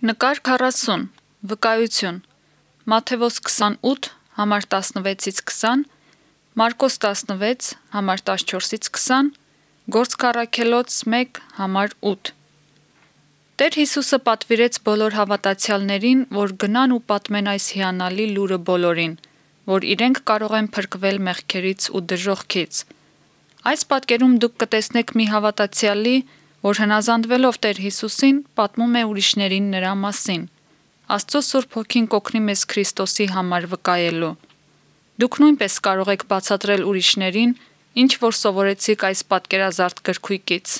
Նկար 40. Վկայություն. Մատթեոս 28, համար 16-20, Մարկոս 16, համար 14-20, Գործք առաքելոց 1, համար 8։ Տեր Հիսուսը պատվիրեց բոլոր հավատացյալներին, որ գնան ու պատմեն այս հիանալի լուրը բոլորին, որ իրենք կարող են փրկվել մեղքերից ու դժոխքից։ Այս պատկերում դուք կտեսնեք մի հավատացյալի, որ հնազանդվելով Տեր Հիսուսին, պատմում է ուրիշներին նրա մասին։ Աստծո Սուրբ Հոգին կօգնի մեզ Քրիստոսի համար վկայելու։ Դուք նույնպես կարող եք բացատրել ուրիշներին, ինչ որ սովորեցիք այս պատկերազարդ գրքույկից։